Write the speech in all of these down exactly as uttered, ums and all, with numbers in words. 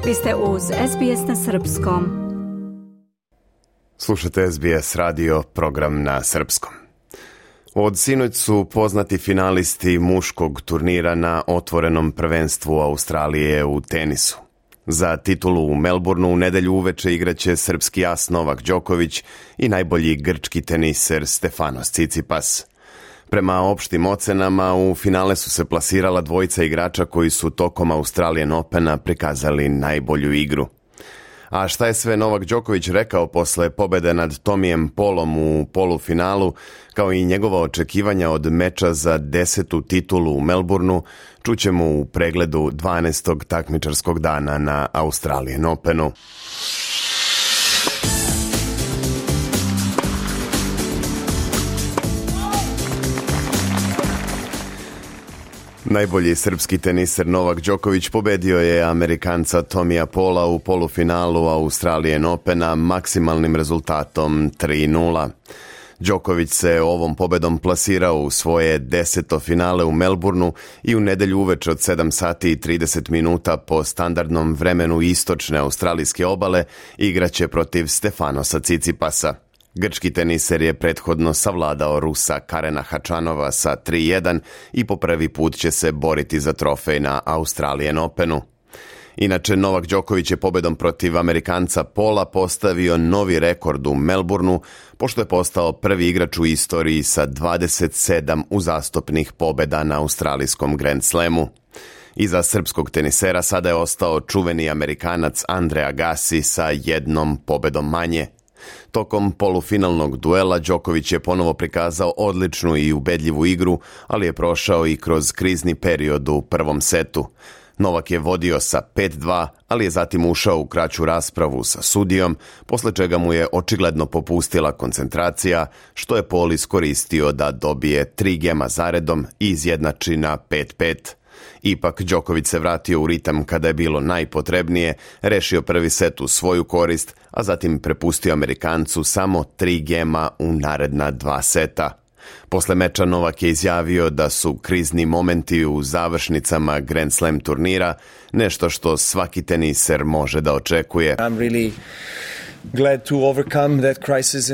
Vi ste uz S B S na srpskom. Slušate S B S radio, program na srpskom. Od sinoć su poznati finalisti muškog turnira na otvorenom prvenstvu Australije u tenisu. Za titulu u Melbourneu u nedelju uveče igraće srpski as Novak Đoković i najbolji grčki teniser Stefanos Tsitsipas. Prema opštim ocenama, u finale su se plasirala dvojica igrača koji su tokom Australian Opena prikazali najbolju igru. A šta je sve Novak Đoković rekao posle pobede nad Tomijem Polom u polufinalu, kao i njegova očekivanja od meča za desetu titulu u Melbourneu, čućemo u pregledu dvanaestog takmičarskog dana na Australian Openu. Najbolji srpski teniser Novak Đoković pobedio je Amerikanca Tomija Pola u polufinalu Australian Opena maksimalnim rezultatom tri nula. Đoković se ovom pobedom plasirao u svoje deseto finale u Melbourneu i u nedelju uveče od sedam sati i trideset minuta po standardnom vremenu istočne australijske obale igraće protiv Stefanosa Tsitsipasa. Grčki teniser je prethodno savladao Rusa Karena Hačanova sa tri jedan i po prvi put će se boriti za trofej na Australian Openu. Inače, Novak Đoković je pobedom protiv Amerikanca Pola postavio novi rekord u Melbourneu, pošto je postao prvi igrač u istoriji sa dvadeset sedam uzastopnih pobeda na australijskom Grand Slamu. Iza srpskog tenisera sada je ostao čuveni Amerikanac Andre Agassi sa jednom pobedom manje. Tokom polufinalnog duela Đoković je ponovo prikazao odličnu i ubedljivu igru, ali je prošao i kroz krizni period u prvom setu. Novak je vodio sa pet dva, ali je zatim ušao u kraću raspravu sa sudijom, posle čega mu je očigledno popustila koncentracija, što je Pol iskoristio da dobije tri gema zaredom i izjednači na pet pet. Ipak Đoković se vratio u ritam kada je bilo najpotrebnije, rešio prvi set u svoju korist, a zatim prepustio Amerikancu samo tri gema u naredna dva seta. Posle meča Novak je izjavio da su krizni momenti u završnicama Grand Slam turnira nešto što svaki teniser može da očekuje. I'm really glad to overcome that crisis.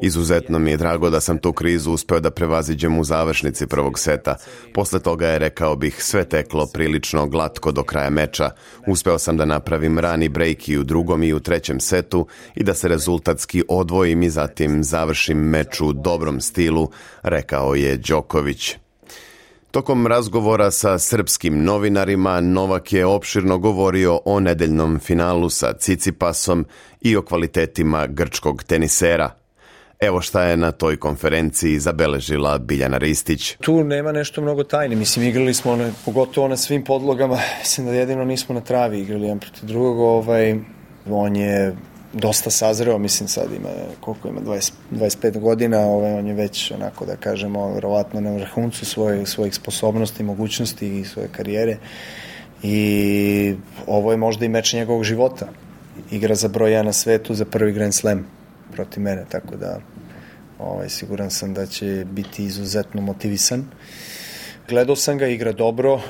Izuzetno mi je drago da sam tu krizu uspeo da prevaziđem u završnici prvog seta. Posle toga je, rekao bih, sve teklo prilično glatko do kraja meča. Uspeo sam da napravim rani break i u drugom i u trećem setu i da se rezultatski odvojim i zatim završim meč u dobrom stilu, rekao je Đoković. Tokom razgovora sa srpskim novinarima, Novak je opširno govorio o nedeljnom finalu sa Tsitsipasom i o kvalitetima grčkog tenisera. Evo šta je na toj konferenciji zabeležila Biljana Ristić. Tu nema nešto mnogo tajne. Mislim, igrali smo one, pogotovo na svim podlogama. Mislim da jedino nismo na travi igrali jedan protiv drugog. Ovaj, on je dosta sazreo, mislim sad ima, koliko ima, dvadeset, dvadeset pet godina, ovaj, on je već, onako da kažemo, verovatno na vrhuncu svoje, svojih sposobnosti, mogućnosti i svoje karijere. I ovo je možda i meč njegovog života. Igra za broj jedan na svetu za prvi Grand Slam protiv mene, tako da ovaj, siguran sam da će biti izuzetno motivisan. Gledao sam ga, igra dobro,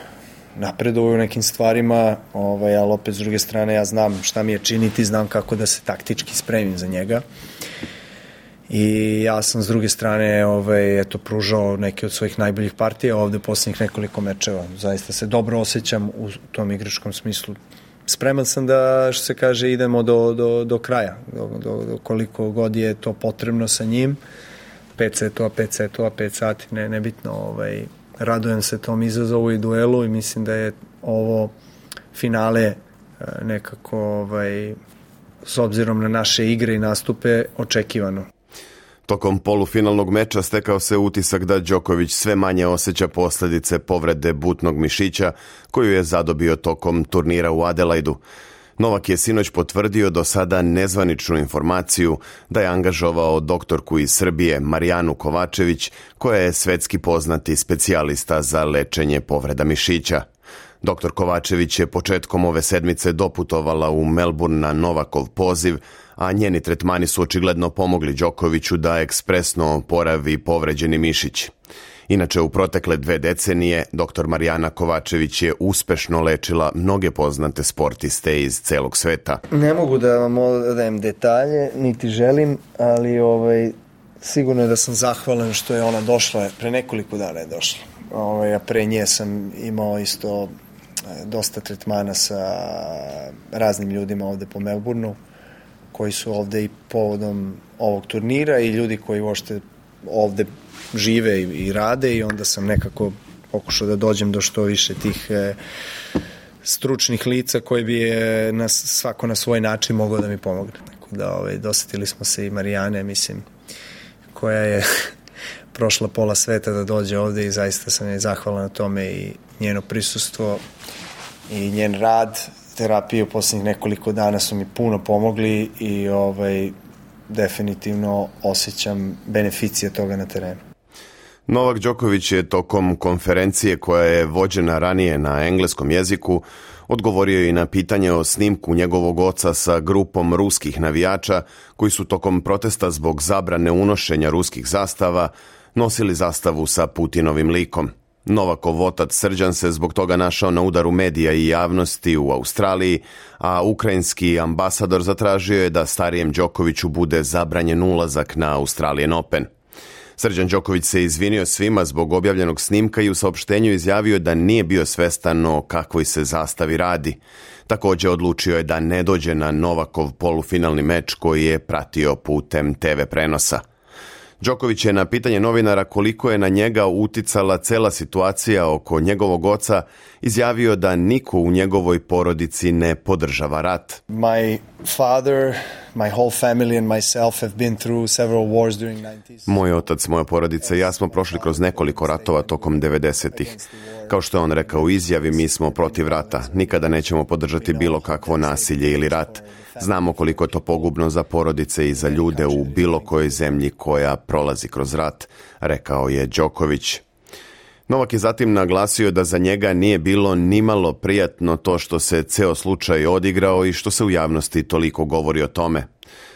napreduje u nekim stvarima, ovaj, ali opet s druge strane ja znam šta mi je činiti, znam kako da se taktički spremim za njega. I ja sam s druge strane ovaj, eto, pružao neke od svojih najboljih partija ovde posljednjih nekoliko mečeva. Zaista se dobro osjećam u tom igračkom smislu. Spreman sam da, što se kaže, idemo do, do, do kraja, do, do, do koliko god je to potrebno sa njim. Pet setova, pet setova, pet sati, ne, nebitno, ovaj, radujem se tom izazovu i duelu i mislim da je ovo finale nekako, ovaj, s obzirom na naše igre i nastupe, očekivano. Tokom polufinalnog meča stekao se utisak da Đoković sve manje osjeća posledice povrede butnog mišića koju je zadobio tokom turnira u Adelaidu. Novak je sinoć potvrdio do sada nezvaničnu informaciju da je angažovao doktorku iz Srbije Marijanu Kovačević, koja je svetski poznati specijalista za lečenje povreda mišića. Doktor Kovačević je početkom ove sedmice doputovala u Melbourne na Novakov poziv, a njeni tretmani su očigledno pomogli Đokoviću da ekspresno oporavi povređeni mišić. Inače, u protekle dve decenije doktor Marijana Kovačević je uspešno lečila mnoge poznate sportiste iz celog sveta. Ne mogu da vam odajem detalje, niti želim, ali ovaj, sigurno je da sam zahvalan što je ona došla, pre nekoliko dana je došla. Ovaj, a pre nje sam imao isto dosta tretmana sa raznim ljudima ovde po Melbourneu, koji su ovde i povodom ovog turnira i ljudi koji uopšte ovde žive i, i rade, i onda sam nekako pokušao da dođem do što više tih e, stručnih lica koji bi e, nas, svako na svoj način mogao da mi pomogne. Tako da ovaj, dosetili smo se i Marijane, mislim, koja je prošla pola sveta da dođe ovde, i zaista sam je zahvalan na tome, i njeno prisustvo i njen rad, terapije u poslednjih nekoliko dana su mi puno pomogli, i ovaj, definitivno osjećam beneficije toga na terenu. Novak Đoković je tokom konferencije koja je vođena ranije na engleskom jeziku odgovorio i na pitanje o snimku njegovog oca sa grupom ruskih navijača koji su tokom protesta zbog zabrane unošenja ruskih zastava nosili zastavu sa Putinovim likom. Novakov otac Srđan se zbog toga našao na udaru medija i javnosti u Australiji, a ukrajinski ambasador zatražio je da starijem Đokoviću bude zabranjen ulazak na Australian Open. Srđan Đoković se izvinio svima zbog objavljenog snimka i u saopštenju izjavio da nije bio svestan o kakvoj se zastavi radi. Također odlučio je da ne dođe na Novakov polufinalni meč koji je pratio putem te ve prenosa. Đoković je na pitanje novinara koliko je na njega uticala cela situacija oko njegovog oca izjavio da niko u njegovoj porodici ne podržava rat. My father, my whole family and myself have been through several wars during nineties. Moj otac, moja porodica i ja smo prošli kroz nekoliko ratova tokom devedesetih. Kao što je on rekao u izjavi, mi smo protiv rata. Nikada nećemo podržati bilo kakvo nasilje ili rat. Znamo koliko je to pogubno za porodice i za ljude u bilo kojoj zemlji koja prolazi kroz rat, rekao je Đoković. Novak je zatim naglasio da za njega nije bilo nimalo prijatno to što se ceo slučaj odigrao i što se u javnosti toliko govori o tome.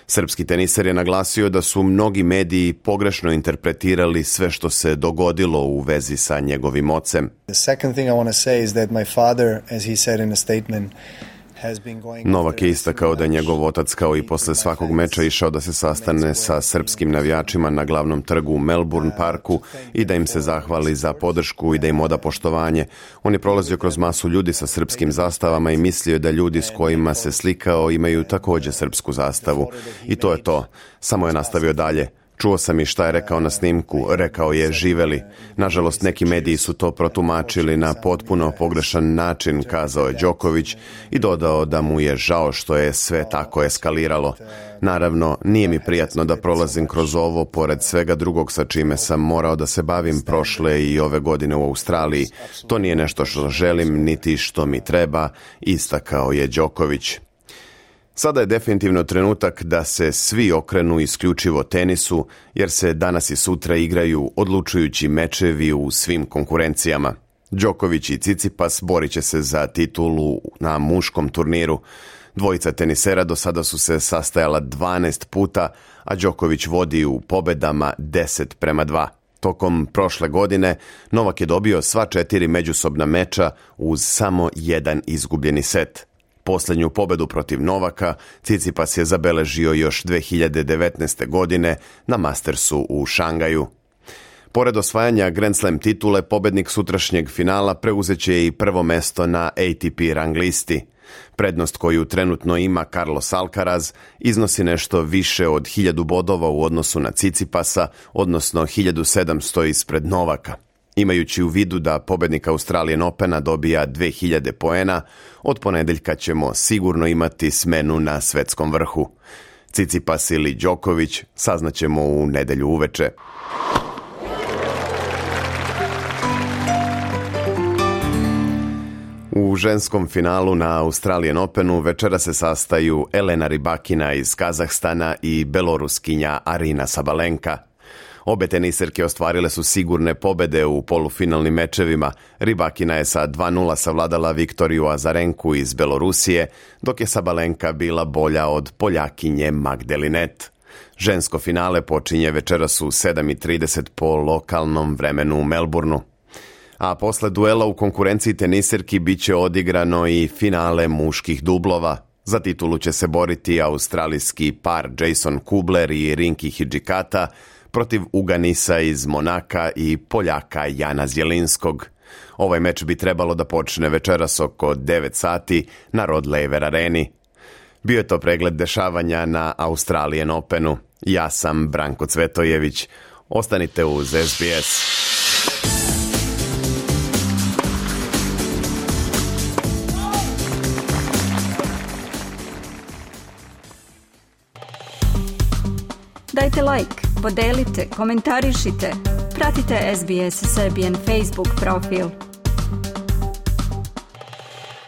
Srpski teniser je naglasio da su mnogi mediji pogrešno interpretirali sve što se dogodilo u vezi sa njegovim ocem. The second thing I want to say is that my father, as he said in a statement, Novak je istakao da je njegov otac kao i posle svakog meča išao da se sastane sa srpskim navijačima na glavnom trgu u Melbourne parku i da im se zahvali za podršku i da im oda poštovanje. On je prolazio kroz masu ljudi sa srpskim zastavama i mislio da ljudi s kojima se slikao imaju također srpsku zastavu. I to je to. Samo je nastavio dalje. Čuo sam i šta je rekao na snimku, rekao je živeli. Nažalost, neki mediji su to protumačili na potpuno pogrešan način, kazao je Đoković i dodao da mu je žao što je sve tako eskaliralo. Naravno, nije mi prijatno da prolazim kroz ovo, pored svega drugog sa čime sam morao da se bavim prošle i ove godine u Australiji. To nije nešto što želim, niti što mi treba, istakao je Đoković. Sada je definitivno trenutak da se svi okrenu isključivo tenisu, jer se danas i sutra igraju odlučujući mečevi u svim konkurencijama. Đoković i Cicipas borit će se za titulu na muškom turniru. Dvojica tenisera do sada su se sastajala dvanaest puta, a Đoković vodi u pobedama deset prema dva. Tokom prošle godine Novak je dobio sva četiri međusobna meča uz samo jedan izgubljeni set. Posljednju pobedu protiv Novaka Cicipas je zabeležio još dve hiljade devetnaeste. godine na Mastersu u Šangaju. Pored osvajanja Grand Slam titule, pobednik sutrašnjeg finala preuzeće i prvo mesto na A T P rang listi. Prednost koju trenutno ima Carlos Alcaraz iznosi nešto više od hiljadu bodova u odnosu na Cicipasa, odnosno hiljadu sedamsto ispred Novaka. Imajući u vidu da pobednik Australian Opena dobija dve hiljade poena, od ponedeljka ćemo sigurno imati smenu na svetskom vrhu. Cicipas ili Đoković saznaćemo u nedelju uveče. U ženskom finalu na Australian Openu večera se sastaju Elena Rybakina iz Kazahstana i Beloruskinja Arina Sabalenka. Obe teniserke ostvarile su sigurne pobede u polufinalnim mečevima. Rybakina je sa dva nula savladala Viktoriju Azarenku iz Belorusije, dok je Sabalenka bila bolja od Poljakinje Magdalinet. Žensko finale počinje večeras u sedam i trideset po lokalnom vremenu u Melbourneu. A posle duela u konkurenciji teniserki bit će odigrano i finale muških dublova. Za titulu će se boriti australijski par Jason Kubler i Rinki Hidžikata protiv Uganisa iz Monaka i Poljaka Jana Zjelinskog. Ovaj meč bi trebalo da počne večeras oko devet sati na Rod Laver areni. Bio je to pregled dešavanja na Australian Openu. Ja sam Branko Cvetojević. Ostanite uz S B S. Dajte like, podelite, komentarišite. Pratite S B S Serbian Facebook profil.